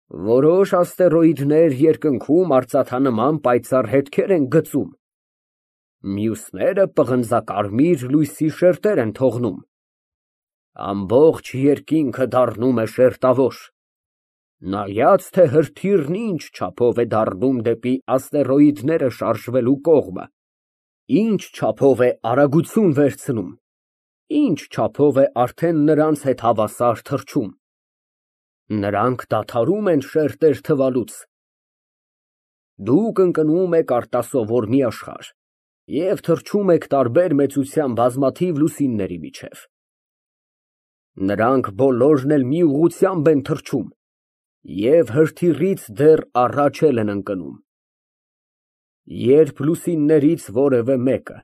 Որոշ աստերոիդներ երկնքում արծաթանման պայծառ հետքեր են գծում, մյուսները պղնձակարմիր լույսի շերտեր են թողնում, ամբողջ երկինքը դառնում է շերտավոր, նայած թե հրթիռն ինչ չափով է դառնում դեպի աստերոիդները շարժվելու կողմը, ինչ չափով է արագություն վերցնում, ինչ չափով է արդեն նրանց հետ հավասար թռչում, նրանք դադարում են շերտեր թվալուց, դուք ընկնում եք արտասովոր մի աշխարհ և թռչում եք տարբեր մեծության բազմաթիվ լուսինների միջև, նրանք բոլորն էլ մի ուղղությամբ են թռչում և հրթիռից դեռ առաջ են ընկնում, երբ լուսիններից որևէ մեկը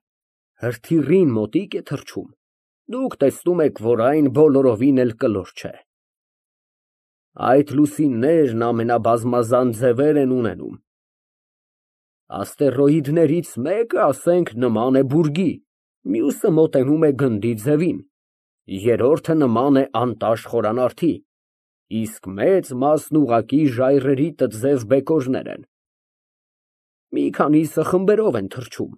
հրթիռին մոտիկ է թռչում, դուք տեսնում եք, որ այն բոլորովին էլ կլոր չէ, այդ լուսիններն ամենաբազմազան ձևեր են ունենում, աստերոիդներից մեկը, ասենք, նման է բուրգի, մյուսը մոտենում է գնդի ձևին, երրորդը նման է անտաշ խորանարդի, իսկ մեծ մասն ուղղակի ժայռերի տձև բեկորներ են, մի քանիսը խմբերով են թռչում,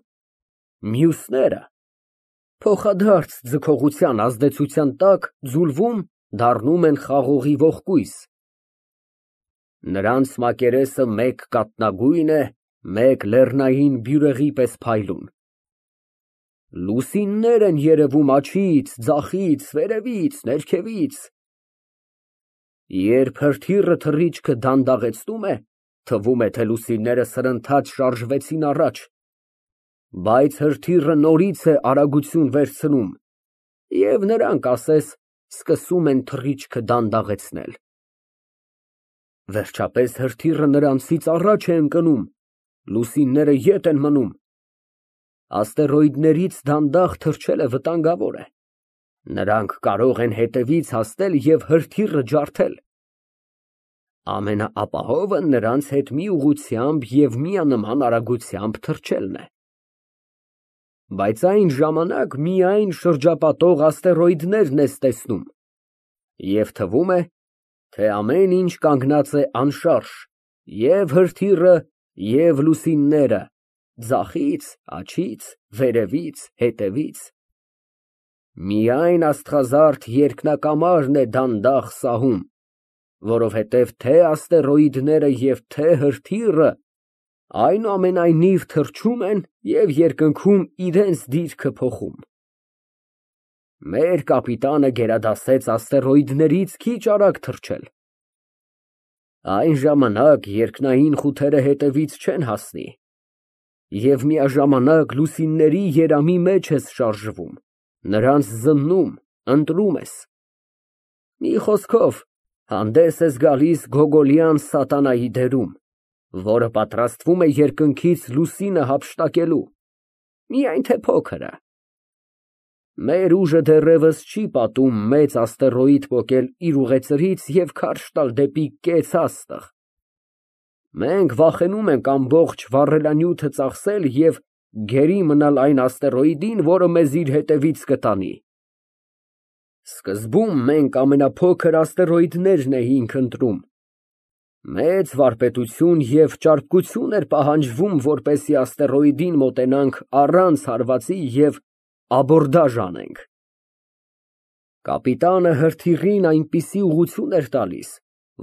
մյուսները փոխադարձ ձգողության ազդեցության տակ ձուլվում, դառնում են խաղողի ողկույզ, նրանց մակերեսը մեկ կաթնագույն է, մեկ լեռնային բյուրեղի պես փայլուն, լուսիններ են երևում աջից, ձախից, վերևից, ներքևից, երբ հրթիռը թռիչքը դանդաղեցնում է, թվում է, թե լուսինները սրընթաց շարժվեցին առաջ, բայց հրթիռը նորից է արագություն վերցնում և նրանք, ասես, սկսում են թռիչքը դանդաղեցնել, վերջապես հրթիռը նրանցից առաջ է ընկնում, լուսինները ետ են մնում, աստերոիդներից դանդաղ թռչելը վտանգավոր է, նրանք կարող են հետևից հասնել և հրթիռը ջարդել, ամենաապահովը նրանց հետ մի ուղղությամբ և միանման արագությամբ թռչելն է, բայց այն ժամանակ միայն շրջապատող աստերոիդներն ես տեսնում և թվում է, թե ամեն ինչ կանգնած է անշարժ, և հրթիռը, և լուսինները, ձախից, աջից, վերևից, հետևից, միայն աստղազարդ երկնակամարն է դանդաղ սահում, որովհետև թե աստերոիդները և թե հրթիռը այնուամենայնիվ թռչում են և երկնքում իրենց դիրքը փոխում։ Մեր կապիտանը գերադասեց աստերոիդներից քիչ արագ թռչել։ Այն ժամանակ երկնային խութերը հետևից չեն հասնի, և միաժամանակ լուսինների երամի մեջ ես շարժվում, նրանց զննում, ընտրում ես։ Մի խոսքով, հանդես ես գալիս գոգոլյան սատանայի դերում, որը պատրաստվում է երկնքից լուսինը հափշտակելու, միայն թե փոքրը։ Մեր ուժը դեռևս չի պատում մեծ աստերոիդ պոկել իր ուղեծրից և քարշ տալ դեպի կեց աստղ։ Մենք վախենում ենք ամբողջ վառելանյութը ծախսել և գերի մնալ այն աստերոիդին, որը մեզ իր հետևից կտանի։ Սկզբում մենք ամենափոքր աստերոիդներն էինք ընտրում, մեծ վարպետություն և ճարպկություն էր պահանջվում, որպեսզի աստերոիդին մոտենանք առանց հարվածի և աբորդաժ անենք։ Կապիտանը հրթիռին այնպիսի ուղղություն էր տալիս,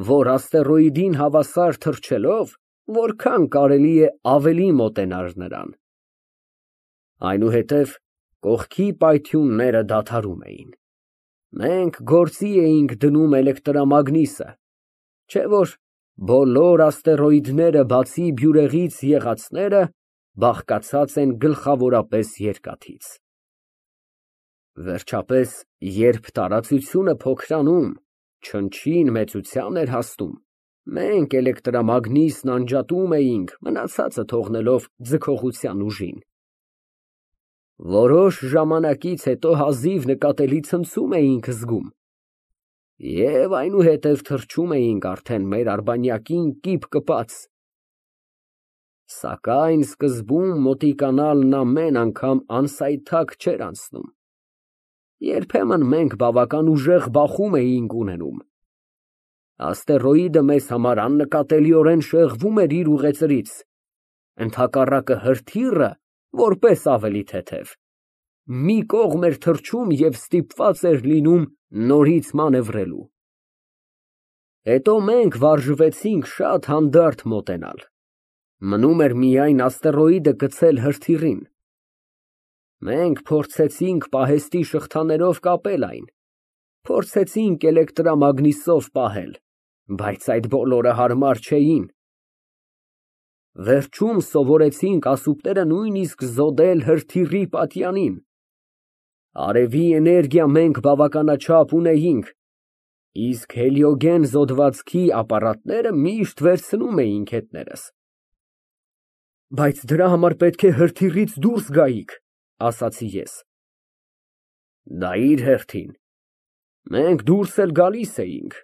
որ աստերոիդին հավասար թռչելով, որքան կարելի է ավելի մոտենար նրան։ Այնուհետև կողքի պայթյունները դադարում էին։ Մենք գործի էինք դնում էլեկտրամագնիսը, չէ՞ որ բոլոր աստերոիդները, բացի բյուրեղից եղածները, բաղկացած են գլխավորապես երկաթից։ Վերջապես, երբ տարածությունը փոքրանում, չնչին մեծության էր հասնում, մենք էլեկտրամագնիսն անջատում էինք, մնացածը թողնելով ձգողության ուժին։ Որոշ ժամանակից հետո հազիվ նկատելի ցնցում էինք զգում և այնուհետև թռչում էինք արդեն մեր արբանյակին կիպ կպած։ Սակայն սկզբում մոտիկանալն ամեն անգամ անսայթակ չէր անցնում։ Երբեմն մենք բավական ուժեղ բախում էինք ունենում։ Աստերոիդը մեզ համար աննկատելիորեն շեղվում էր իր ուղեծրից, ընդհակառակը հրթիռը, որպես ավելի թեթև, մի կողմ էր թռչում և ստիպված էր լինում նորից մանևրելու։ Հետո մենք վարժվեցինք շատ հանդարտ մոտենալ, մնում էր միայն աստերոիդը գցել հրթիռին։ Մենք փորձեցինք պահեստի շղթաներով կապել այն, փորձեցինք էլեկտրամագնիսով պահել, բայց այդ բոլորը հարմար չէին։ Վերջում սովորեցինք ասուպները նույնիսկ զոդել հրթիռի պատյանին։ Արևի էներգիա մենք բավականաչափ ունեինք, իսկ հելիոգեն զոդվածքի ապարատները միշտ վերցնում էինք հետներս։ Բայց դրա համար պետք է հրթիռից դուրս գայիք, ասացի ես։ Դա իր հերթին, մենք դուրս էլ գալիս էինք,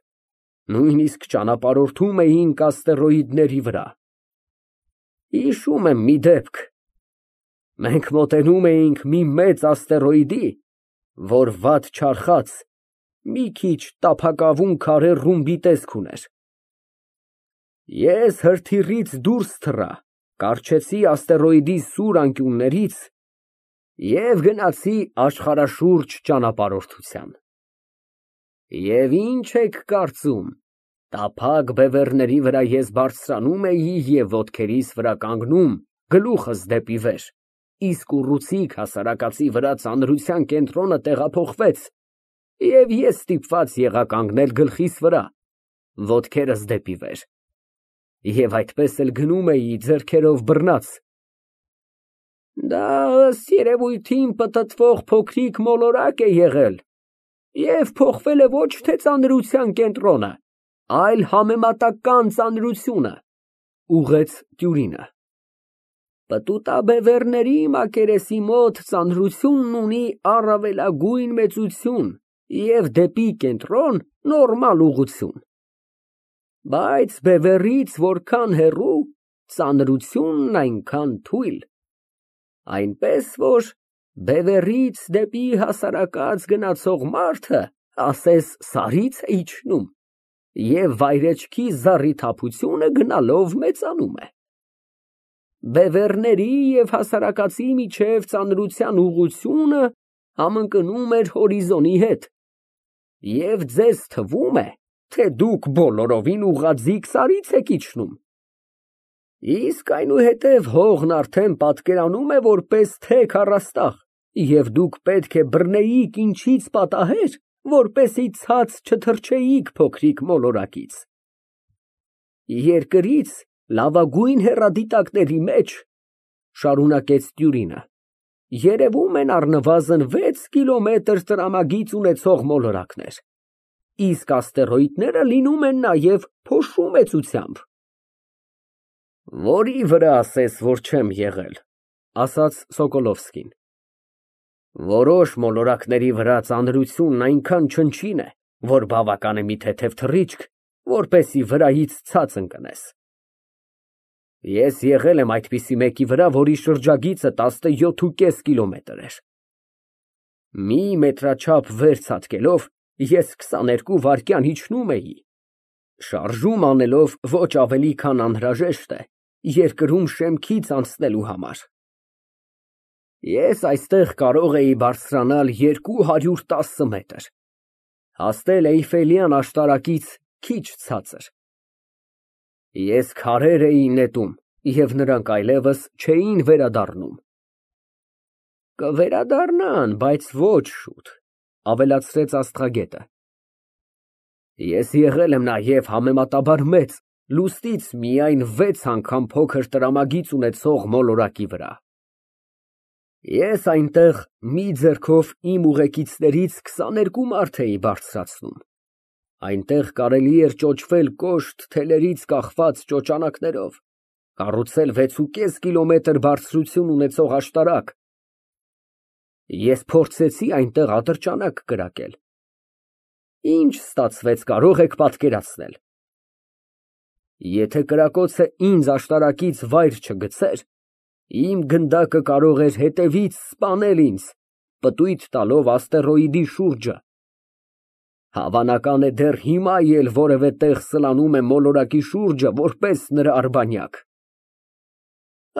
նույնիսկ ճանապարհորդում էինք աստերոիդների վրա։ Հիշում եմ մի դեպք. մենք մոտենում էինք մի մեծ աստերոիդի, որ վատ չարխած, մի քիչ տափակավուն քարե ռումբի տեսք ուներ։ Ես հրթիռից դուրս թռա, կառչեցի աստերոիդի սուր անկյուններից և գնացի աշխարհաշուրջ ճանապարհորդության։ Եվ ինչ եք կարծում, տափակ բևեռների վրա ես բարձրանում էի և ոտքերիս վրա կանգնում, գլուխս դեպի վեր, իսկ ուռուցիկ հասարակածի վրա ծանրության կենտրոնը տեղափոխվեց, և ես ստիպված եղա կանգնել գլխիս վրա, ոտքերս դեպի վեր, և այդպես էլ գնում էի ձեռքերով բռնած։ Դա ըստ երևույթին պտտվող փոքրիկ մոլորակ է եղել և փոխվել է ոչ թե ծանրության կենտրոնը, այլ համեմատական ծանրությունը, ուղղեց տյուրինը։ Պտուտաբևեռների մակերեսի մոտ ծանրությունն ունի առավելագույն մեծություն և դեպի կենտրոն նորմալ ուղղություն, բայց բևեռից որքան հեռու, ծանրությունն այնքան թույլ, այնպես որ բևեռից դեպի հասարակած գնացող մարդը ասես սարից է իջնում, և վայրեջքի զառիթափությունը գնալով մեծանում է։ Բևեռների և հասարակածի միջև ծանրության ուղղությունը համընկնում էր հորիզոնի հետ, և ձեզ թվում է, թե դուք բոլորովին ուղղաձիգ սարից եք իջնում, իսկ այնուհետև հողն արդեն պատկերանում է որպես թեք առաստաղ, և դուք պետք է բռնեիք ինչից պատահեր, որպեսզի ցած չթռչեիք փոքրիկ մոլորակից։ Երկրից լավագույն հեռադիտակների մեջ, շարունակեց տյուրինը, երևում են առնվազն 6 կիլոմետր տրամագիծ ունեցող մոլորակներ, իսկ աստերոիդները լինում են նաև փոշու մեծությամբ։ Որի վրա ասես, որ չեմ եղել, ասաց Սոկոլովսկին։ Որոշ մոլորակների վրա ծանրությունն այնքան չնչին է, որ բավական է մի թեթև թռիչք, որպեսզի վրայից ցած ընկնես։ Ես եղել եմ այդպիսի մեկի վրա, որի շրջագիծը 17,5 կիլոմետր էր։ Մի մետրաչափ վեր ցատկելով, ես 22 վայրկյան իջնում էի, շարժում անելով ոչ ավելի քան անհրաժեշտ է երկրում շեմքից անցնելու համար։ Ես այստեղ կարող էի բարձրանալ 210 մետր, հասնել Էյֆելյան աշտարակից քիչ ցածր։ Ես քարեր էի նետում, և նրանք այլևս չէին վերադառնում։ Կվերադառնան, բայց ոչ շուտ, ավելացրեց աստղագետը։ Ես եղել եմ նաև համեմատաբար մեծ, լուսնից միայն 6 անգամ փոքր տրամագիծ ունեցող մոլորակի վրա։ Ես այնտեղ մի ձեռքով իմ ուղեկիցներից 22 մարդ էի բարձրացնում, այնտեղ կարելի էր ճոճվել կոշտ թելերից կախված ճոճանակներով, կառուցել 6,5 կիլոմետր բարձրություն ունեցող աշտարակ։ Ես փորձեցի այնտեղ ատրճանակ կրակել։ Ինչ ստացվեց, կարող եք պատկերացնել։ Եթե կրակոցը ինձ աշտարակից վայր չգցեր, իմ գնդակը կարող էր հետևից սպանել ինձ, պտույտ տալով աստերոիդի շուրջը։ Հավանական է դեռ հիմա էլ որևէ տեղ սլանում է մոլորակի շուրջը որպես նրա արբանյակ։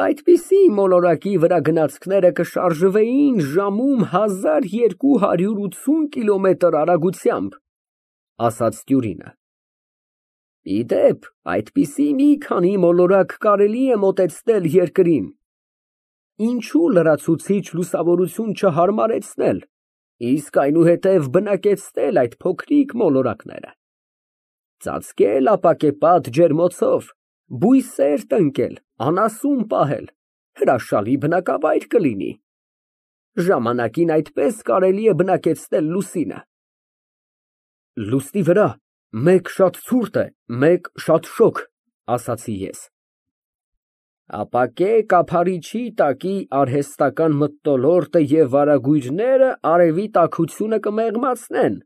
Այդպիսի մոլորակի վրա գնացքները կշարժվեին ժամում 1280 կիլոմետր արագությամբ, ասաց տյուրինը։ Ի դեպ, այդպիսի մի քանի մոլորակ կարելի է մոտեցնել երկրին։ Ինչու լրացուցիչ լուսավորություն չհարմարեցնել, իսկ այնուհետև բնակեցնել այդ փոքրիկ մոլորակները, ծածկել ապակեպատ ջերմոցով, բույսեր տնկել, անասուն պահել, հրաշալի բնակավայր կլինի։ Ժամանակին այդպես կարելի է բնակեցնել լուսինը։ Լուսնի վրա մեկ շատ ցուրտ է, մեկ շատ շոգ, ասացի ես։ Ապակե կափարիչի տակի արհեստական մթնոլորտը և վարագույրները արևի տաքությունը կմեղմացնեն,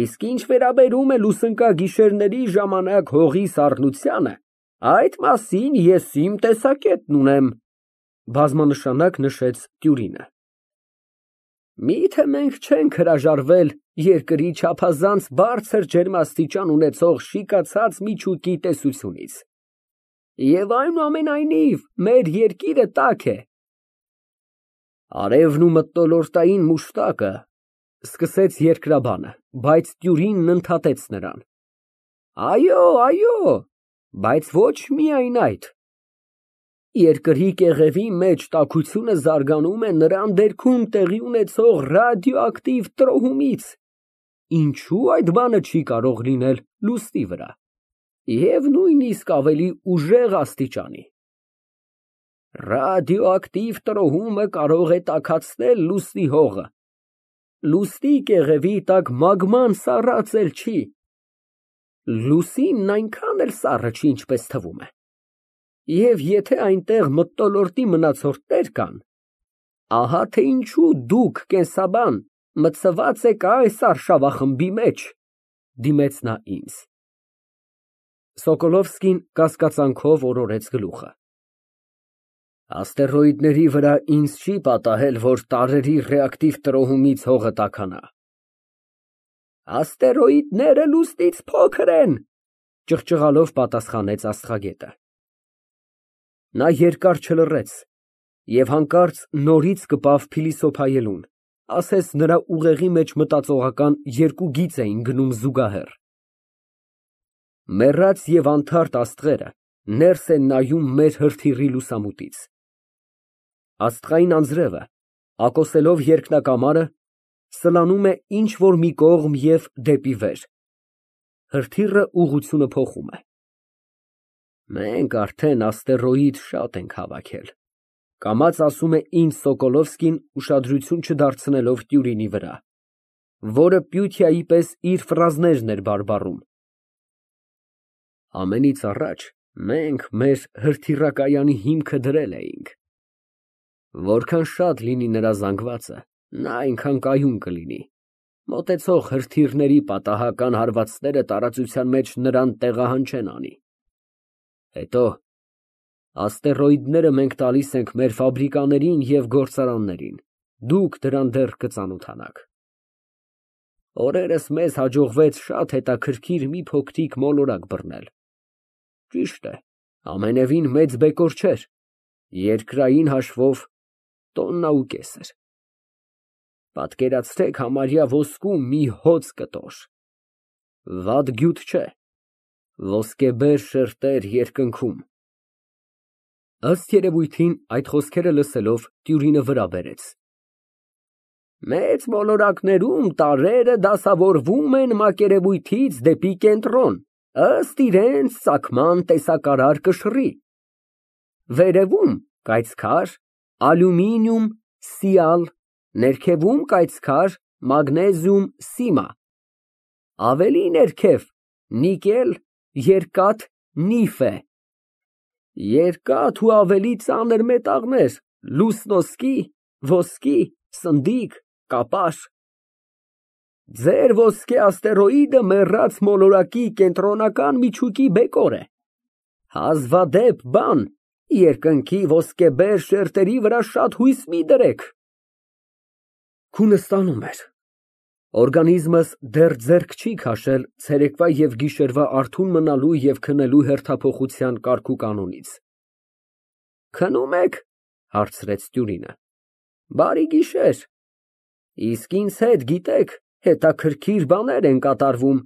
իսկ ինչ վերաբերում է լուսնկա գիշերների ժամանակ հողի սառնությանը, այդ մասին ես իմ տեսակետն ունեմ, բազմանշանակ նշեց տյուրինը։ Միթե մենք չենք հրաժարվել երկրի չափազանց բարձր ջերմաստիճան ունեցող շիկացած միջուկի տեսությունից։ Եվ այնուամենայնիվ մեր երկիրը տաք է։ Արևն ու մթնոլորտային մուշտակը, սկսեց երկրաբանը, բայց տյուրինն ընդհատեց նրան։ Այո, բայց ոչ միայն այդ։ Երկրի կեղևի մեջ տաքությունը զարգանում է նրան դերքում տեղի ունեցող ռադիոակտիվ տրոհումից, ինչու այդ բանը չի կարող լինել լուսնի վրա, և նույնիսկ ավելի ուժեղ աստիճանի։ Ռադիոակտիվ տրոհումը կարող է տաքացնել լուսնի հողը, լուսնի կեղևի տակ մագման սառած էլ չի, լուսինն այնքան էլ սառը չի, ինչպես թվում է։ Եվ եթե այնտեղ մթնոլորտի մնացորդներ կան, ահա թե ինչու դուք, կենսաբան, մտցված եք այս արշավախմբի մեջ, դիմեց նա ինձ։ Սոկոլովսկին կասկածանքով օրորեց գլուխը։ Աստերոիդների վրա ինձ չի պատահել, որ տարրերի ռեակտիվ տրոհումից հողը տաքանա։ Աստերոիդները լուսնից փոքր են, ճղճղալով պատասխանեց աստղագետը։ Նա երկար չլռեց և հանկարծ նորից կպավ փիլիսոփայելուն, ասես նրա ուղեղի մեջ մտածողական երկու գիծ էին գնում զուգահեռ։ Մեռած և անթարթ աստղերը ներս են նայում մեր հրթիռի լուսամուտից։ Աստղային անձրևը, ակոսելով երկնակամարը, սլանում է ինչ֊որ մի կողմ և դեպի վեր։ Հրթիռը ուղղությունը փոխում է։ Մենք արդեն աստերոիդ շատ ենք հավաքել, կամաց ասում է ինձ Սոկոլովսկին ուշադրություն չդարձնելով տյուրինի վրա, որը Պյութիայի պես իր ֆրազներն էր բարբառում։ Ամենից առաջ մենք մեր հրթիռակայանի հիմքը դրել էինք։ Որքան շատ լինի նրա զանգվածը, նա այնքան կայուն կլինի։ Մոտեցող հրթիռների պատահական հարվածները տարածության մեջ նրան տեղահանչեն անի։ Հետո աստերոիդները մենք տալիս ենք մեր ֆաբրիկաներին և գործարաններին, դուք դրան դեռ կծանոթանաք։ Օրերս մեզ հաջողվեց շատ հետաքրքիր մի փոքրիկ մոլորակ բռնել։ Ճիշտ է, ամենևին մեծ բեկոր չէր, երկրային հաշվով տոննա ու կես էր։ Պատկերացրեք համարյա ոսկու մի հոծ կտոր։ Վատ գյուտ չէ, ոսկեբեր շերտեր երկնքում։ Ըստ երևույթին, այդ խոսքերը լսելով, տյուրինը վրա բերեց։ Մեծ մոլորակներում տարրերը դասավորվում են մակերևույթից դեպի կենտրոն, ըստ իրենց ծագման տեսակարար կշռի։ Վերևում կայծքար, ալյումինիում, սիալ, ներքևում կայծքար, մագնեզիում, սիմա, ավելի ներքև նիկել, երկաթ, նիֆե, երկաթ ու ավելի ծանր մետաղներ, լուսնոսկի, ոսկի, սնդիկ, կապար։ Ձեր ոսկե աստերոիդը մեռած մոլորակի կենտրոնական միջուկի բեկոր է, հազվադեպ բան, երկնքի ոսկեբեր շերտերի վրա շատ հույս մի դրեք։ Քունը ստանում էր, Օրգանիզմս դեռ ձեռք չի քաշել ցերեկվա և գիշերվա արթուն մնալու և քնելու հերթափոխության կարգուկանոնից։ Քնում եք, հարցրեց տյուրինը։ Բարի գիշեր։ Իսկ ինձ հետ, գիտեք, հետաքրքիր բաներ են կատարվում։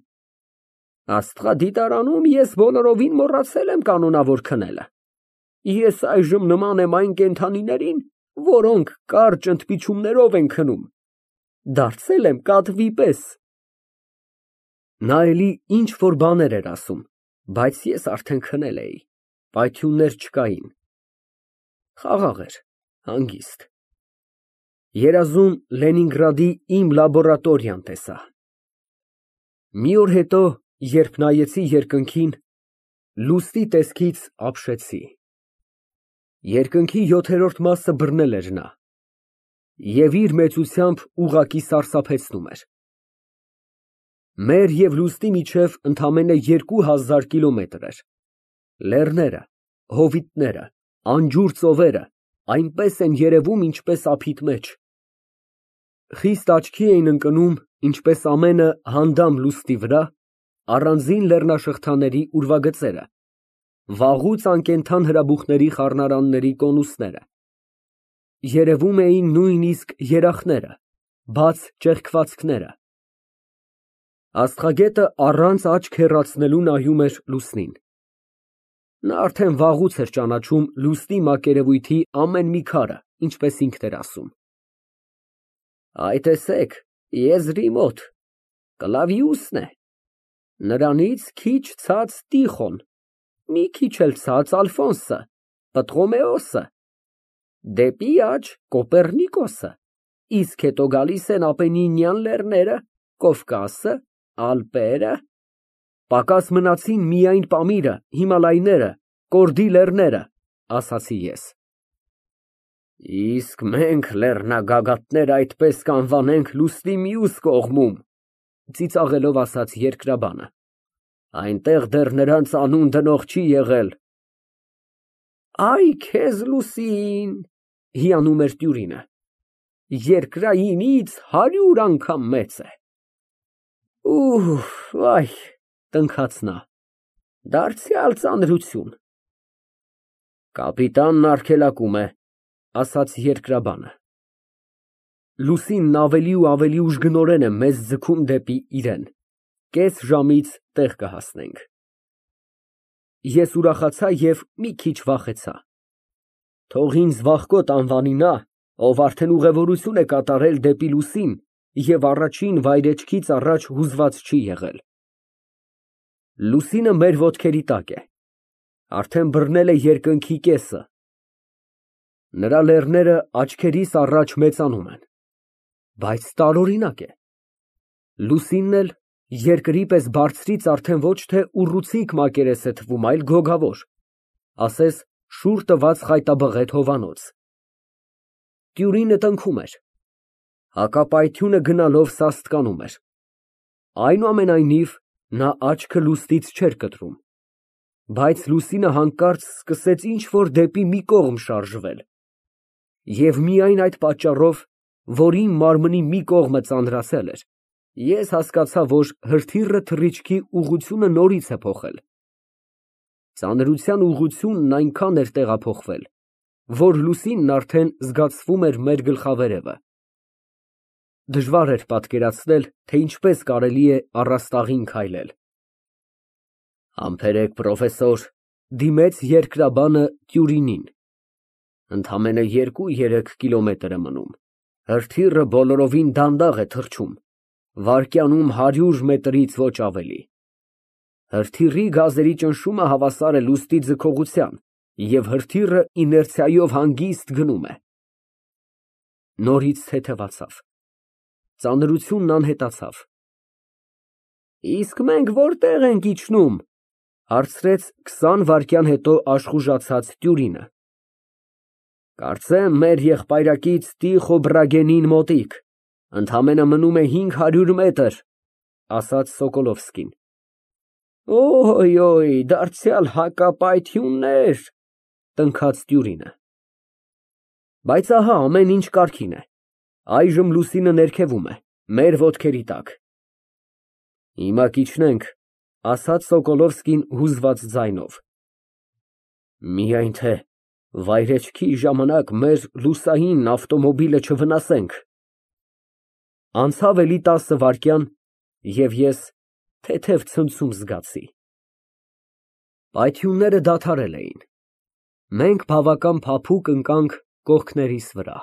Աստղադիտարանում ես բոլորովին մոռացել եմ կանոնավոր քնելը։ Ես այժմ նման եմ այն կենդանիներին, որոնք կարճ ընդմիջումներով են քնում։ Դարձել եմ կատվի պես։ Նա էլի ինչ֊որ բաներ էր ասում, բայց ես արդեն քնել էի, պայթյուններ չկային։ Խաղաղ էր, հանգիստ։ Երազում Լենինգրադի իմ լաբորատորիան տեսա։ Մի օր հետո, երբ նայեցի երկնքին, լուսնի տեսքից ապշեցի։ Երկնքի 7-րդ մասը բռնել էր նա և իր մեծությամբ ուղղակի սարսափեցնում էր։ Մեր և լուսնի միջև ընդամենը 2000 կիլոմետր էր։ Լեռները, հովիտները, անջուր ծովերը այնպես են երևում, ինչպես ափիտ մեջ։ Խիստ աչքի էին ընկնում, ինչպես ամենը հանդամ լուսնի վրա, առանձին լեռնաշղթաների ուրվագծերը, վաղուց անկենդան հրաբուխների խառնարանների կոնուսները։ Երևում էին նույնիսկ երախները, բաց ճեղքվածքները։ Աստղագետը առանց աչք հեռացնելու նայում էր լուսնին։ Նա արդեն վաղուց էր ճանաչում լուսնի մակերևույթի ամեն մի քարը, ինչպես ինքն էր ասում։ Այ տեսեք, եզրի մոտ, Կլավիուսն է, նրանից քիչ ցած Տիխոն, մի քիչ էլ ցած Ալֆոնսը, Պտղոմեոսը, դեպի աջ Կոպեռնիկոսը, իսկ հետո գալիս են Ապենինյան լեռները, Կովկասը, Ալպերը, պակաս մնացին միայն Պամիրը, Հիմալայները, Կորդի լեռները, ասացի ես։ Իսկ մենք լեռնագագաթներ այդպես կանվանենք լուսնի մյուս կողմում, ծիծաղելով ասաց երկրաբանը, այնտեղ դեռ նրանց անուն դնող չի եղել։ Այ քեզ լուսին, հիանում էր տյուրինը, երկրայինից 100 անգամ մեծ է։ Վայ, տնքաց նա, դարձյալ ծանրություն։ Կապիտանն արգելակում է, ասաց երկրաբանը։ Լուսինն ավելի ու ավելի ուժգնորեն է մեզ ձգում դեպի իրեն, կես ժամից տեղ կհասնենք։ Ես ուրախացա և մի քիչ վախեցա։ Թող ինձ վախկոտ անվանի նա, ով արդեն ուղևորություն է կատարել դեպի լուսին և առաջին վայրէջքից առաջ հուզված չի եղել։ Լուսինը մեր ոտքերի տակ է, արդեն բռնել է երկնքի կեսը։ Նրա լեռները աչքերիս առաջ մեծանում են, բայց տարօրինակ է։ Լուսինն էլ երկրի պես բարձրից արդեն ոչ թե ուռուցիկ մակերես է թվում, այլ գոգավոր, ասես շուռ տված խայտաբղետ հովանոց։ Տյուրինը տնքում էր, հակապայթյունը գնալով սաստկանում էր։ Այնուամենայնիվ, նա աչքը լուսնից չէր կտրում, բայց լուսինը հանկարծ սկսեց ինչ֊որ դեպի մի կողմ շարժվել, և միայն այդ պատճառով, որ իմ մարմնի մի կողմը ծանրացել էր, ես հասկացա, որ հրթիռը թռիչքի ուղղությունը նորից է փոխել։ Ծանրության ուղղությունն այնքան էր տեղափոխվել, որ լուսինն արդեն զգացվում էր մեր գլխավերևը։ Դժվար էր պատկերացնել, թե ինչպես կարելի է առաստաղին քայլել։ Համբերեք, պրոֆեսոր, դիմեց երկրաբանը Տյուրինին։ Ընդամենը 2-3 կիլոմետր է մնում։ Հրթիռը բոլորովին դանդաղ է թռչում, վայրկյանում 100 մետրից ոչ ավելի։ Հրթիռի գազերի ճնշումը հավասար է լուսնի ձգողության, և հրթիռը իներցիայով հանգիստ գնում է։ Նորից թեթևացավ։ Ծանրությունն անհետացավ։ Իսկ մենք որտե՞ղ ենք իջնում, հարցրեց 20 վայրկյան հետո աշխուժացած Տյուրինը։ Կարծեմ մեր եղբայրակից Տիխո Բրագենին մոտիկ, ընդամենը մնում է 500 մետր, ասաց Սոկոլովսկին։ Օյ, դարձյալ հակապայթյուններ, տնքաց Տյուրինը։ Բայց ահա ամեն ինչ կարգին է։ Այժմ լուսինը ներքևում է, Մեր ոտքերի տակ։ Հիմա կիջնենք, ասաց Սոկոլովսկին հուզված ձայնով, միայն թե վայրեջքի ժամանակ մեր լուսային ավտոմոբիլը չվնասենք։ Անցավ էլի 10 վայրկյան, և ես թեթև ցնցում զգացի։ Պայթյունները դադարել էին, մենք բավական փափուկ ընկանք կողքներիս վրա։